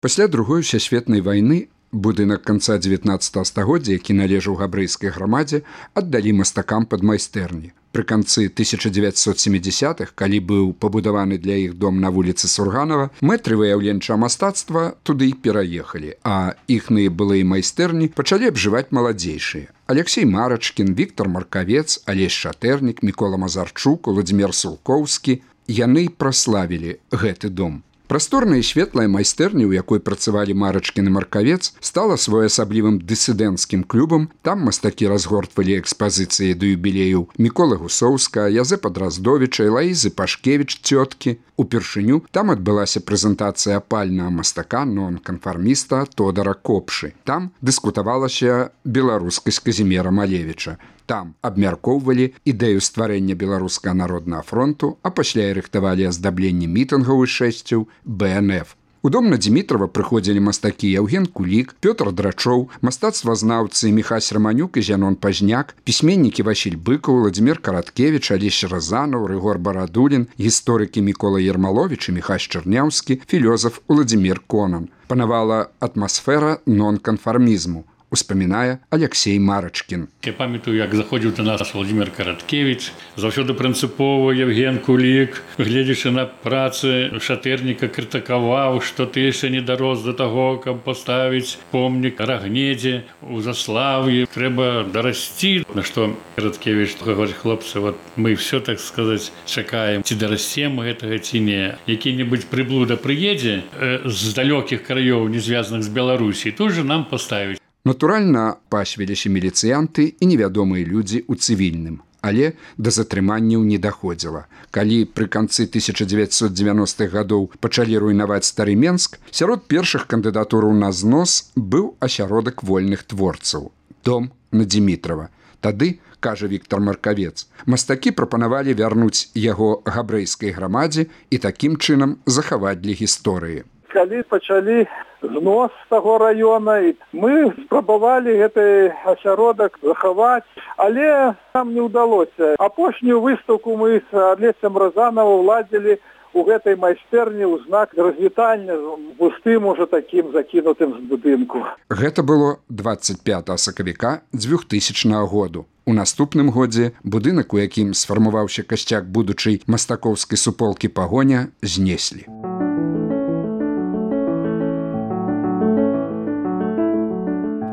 Пасля другой сусветнай вайны будынак канца 19 стагоддзя, які належаў габрэйскай грамадзе, аддалі мастакам пад майстэрні. Пры канцы 1970-х, калі быў пабудаваны для іх дом на вуліцы Сурганова, мэтры выяўленчага мастацтва туды і пераехалі, а іхныя былыя майстэрні пачалі абжываць маладзейшыя. Алексей Марачкін, Віктор Маркавец, Алесь Шатэрнік, Мікола Мазарчук, Уладзімір Сулкоўскі яны праславілі гэты дом. Прасторная і светлая майстэрня, у якой працавалі Марачкін і Маркавец, стала своеасаблівым дысідэнцкім клубам. Там мастакі разгортвалі экспазіцыі да юбілеяў Міколы Гусоўска, Язэпа Драздовіча, Элаізы Пашкевіч цёткі. Упершыню там адбылася прэзентацыя апальнага мастака нон-канфарміста Тодара Копшы. Там дыскутавалася беларускасць Казімера Малевіча. Там абмяркоўвалі ідэю стварэння Беларускага народнага фронту, а пасля і рыхтавалі аздабленне мітынгаў і шэсцяў БНФ. У дом на Дмітрова прыходзілі мастакі Яўген Кулік, Пётр Драчоў, мастацтвазнаўцы Міхась Раманюк і Зянон Пазняк, пісьменнікі Васіль Быкаў, Владзімір Караткевіч, Алесь Разанаў, Рыгор Барадулін, гісторыкі Мікола Ермаловіч і Міхась Чарняўскі, філёзаф Уладзімір Конан. Панавала атмасфера нон-канфармізму, успамінае Алексей Марачкін. Я памятаю, як заходзіў да нас Владзімір Караткевіч, заўсёды прынцыпова Яўген Кулік, гледзячы на працы Шатэрніка, крытыкаваў, што ты яшчэ не дарос да таго, каб паставіць помнік Рагнедзе у Заслаўі. Трэба дарасці. На што Караткевіч гаворыць: хлопцы, вот мы все, так сказаць, чакаем, ці дарасцем гэтага ці не. Які-небудзь прыблуда прыедзе з далёкіх краёў, не звязаных з Беларусі, тут же нам паставіць. Натуральна, пасвіліся міліцыянты і невядомыя людзі ў цывільным, але да затрыманняў не даходзіла. Калі пры канцы 1990-х гадоў пачалі руйнаваць стары Менск, сярод першых кандыдатураў на знос быў асяродак вольных творцаў – дом на Дмітрова. Тады, кажа Віктор Маркавец, мастакі прапанавалі вярнуць яго габрэйскай грамадзе і такім чынам захаваць для гісторыі. Калі пачалі знос таго раёна, мы спрабавалі гэты асяродак захаваць, але нам не ўдалося. Апошнюю выстаўку мы з Алесем Разанавым ладзілі у гэтай майстэрні ў знак развітання з пустым ужо такім закінутым з будынку. Гэта было 25 сакавіка 2000 году. У наступным годзе будынак, у якім сфармаваўся касцяк будучай мастакоўскай суполкі «Пагоня», знеслі.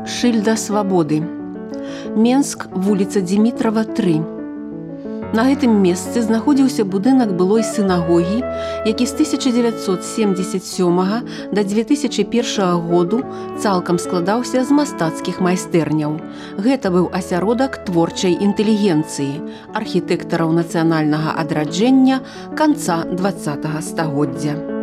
Шыльда свабоды. Менск, вуліца Дмітрова, 3. На гэтым месцы знаходзіўся будынак былой сінагогі, які з 1977 да 2001 году цалкам складаўся з мастацкіх майстэрняў. Гэта быў асяродак творчай інтэлігенцыі, архітэктараў нацыянальнага адраджэння канца 20 стагоддзя.